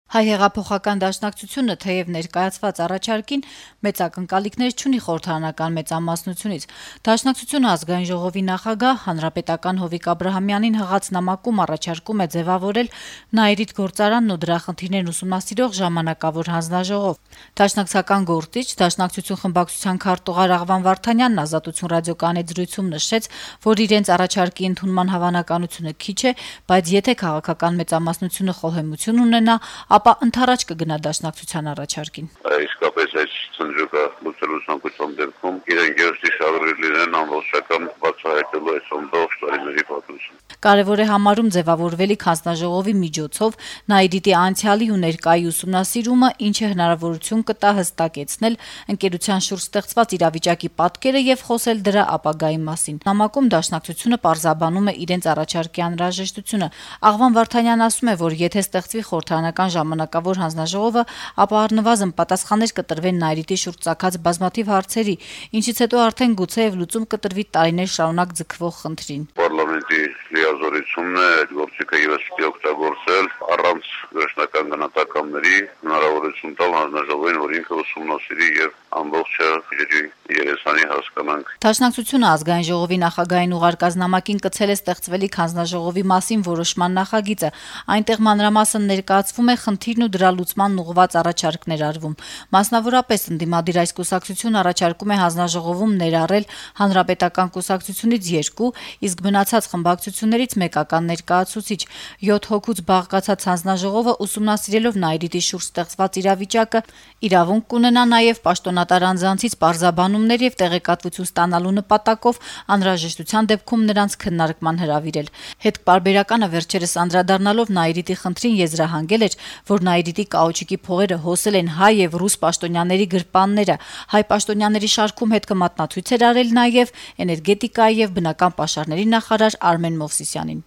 Հայ հեղափոխական դաշնակցությունը թեև ներկայացված առաջարկին մեծ ակնկալիքներ չունի խորհրդարանական մեծամասնությունից, Դաշնակցությունը Ազգային ժողովի նախագահ հանրապետական Հովիկ Աբրահամյանին հղած նամակում առաջարկում է ձևավորել Նաիրիթ գործարանն ու դրա խնդիրներն ուսումնասիրող ժամանակավոր հանձնաժողով։ Դաշնակցական գործիչ, Դաշնակցություն խմբակցության քարտուղար Աղվան Վարդանյանն Ազատություն ռադիոկայանի զրույցում նշեց, որ իրենց առաջարկի ընդունման հավանականությունը քիչ է, բայց եթե քաղաքական մեծամասնությունը խոհեմություն ունենա, ապա ընդառաջ կգնա Դաշնակցության առաջարկին։ Իսկապես այս ծնջուկը լուծելու ցանկության դեպքում իրենք երթի շահագրգիռ լինեն ամբողջական բացահայտելու այս ամբողջ տարիների պատմությունը։ Կարևոր է համարում ձևավորվելիք հանձնաժողովի միջոցով Նաիրիտի անցյալի ու ներկայի ուսումնասիրումը, ինչը հնարավորություն կտա հստակեցնել ընկերության շուրջ ստեղծված իրավիճակի պատկերը եւ խոսել դրա ապագայի մասին։ Նամակում Դաշնակցությունը պարզաբանում է իրենց առաջարկի անհրաժեշտությունը։ Աղվան Վարդանյանն ասում է, որ եթե ստեղծվի խորհրդարանական ժամանակավոր հանձնաժողովը, ապա առնվազն պատասխաններ կտրվեն Նաիրիտի շուրջ ծագած բազմաթիվ հարցերի, ինչից հետո արդեն գուցեև լուծում կտրվի տարիներ շարունակ ձգվող խնդրին։ Պարլամենտի լիազորությունն է այդ գործիքը եւս պիտի օգտագործել առանց վերջնական գնահատականների հնարավորություն տալ հանձնաժողովին, որ ինքը ուսումնասիրի եւ ամբողջը երեսանի հասկանանք։ Դաշնակցությունը Ազգային ժողովի նախագահային ուղարկած նամակին կցել է ստեղծվելիք հանձնաժողովի մասին որոշման նախագիծը։ Այնտեղ մանրամասն ներկայացվում է խնդիրն ու դրա լուծմանն ուղղված առաջարկներ արվում։ Մասնավորապես ընդդիմադիր այս կուսակցությունը առաջարկում է հանձնաժողովում ներառել հանրապետական կուսակցությունից 2, իսկ մնացած խմբակցություններից մեկական ներկայացուցիչ։ 7 հոգուց բաղկացած հանձնաժողովը ուսումնասիրելով Նաիրիտի շուրջ ստեղծված իրավիճակը իրավունք կունենա նաև պաշտոնատար անձանցից պարզաբանումներ եւ տեղեկատվություն ստանալու նպատակով անհրաժեշտության դեպքում նրանց քննարկման հրավիրել։ Հետպարբերականը վերջերս անդրադառնալով Նաիրիտի խնդրին եզրահանգել էր, որ Նաիրիտի կաուչիկի փողերը հոսել են հայ եւ ռուս պաշտոնյաների գրպանները։ Հայ պաշտոնյաների շարքում հետ կմատնացույց էր արել նաև էներգետիկայի եւ բնական պաշարների նախարար Արմեն Մովսիսյանին։